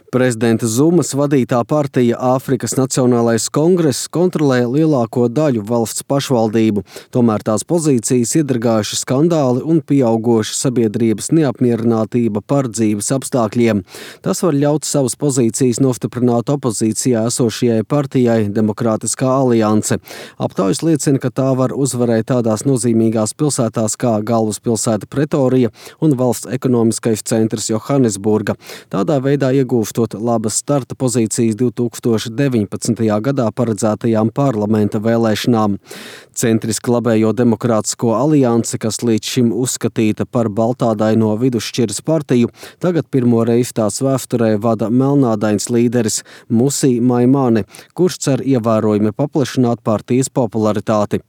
Prezidenta Zumas vadītā partija Āfrikas Nacionālais kongress kontrolē lielāko daļu valsts pašvaldību, tomēr tās pozīcijas iedragājuši skandāli un pieaugoša sabiedrības neapmierinātība par dzīves apstākļiem. Tas var ļaut savas pozīcijas nostiprināt opozīcijā esošajai partijai Demokrātiskā alianse. Aptaujas liecina, ka tā var uzvarēt tādās nozīmīgās pilsētās kā galvaspilsēta Pretorija un valsts ekonomiskais centrs Johannesburga. Tādā veidā iegūstot labas starta pozīcijas 2019. gadā paredzētajām parlamenta vēlēšanām. Centriski labējo Demokrātisko aliansi, kas līdz šim uzskatīta par baltādaino vidusšķiras partiju, tagad pirmo reizi tās vēsturē vada melnādains līderis Musi Maimane, kurš cer ievērojami paplašināt partijas popularitāti.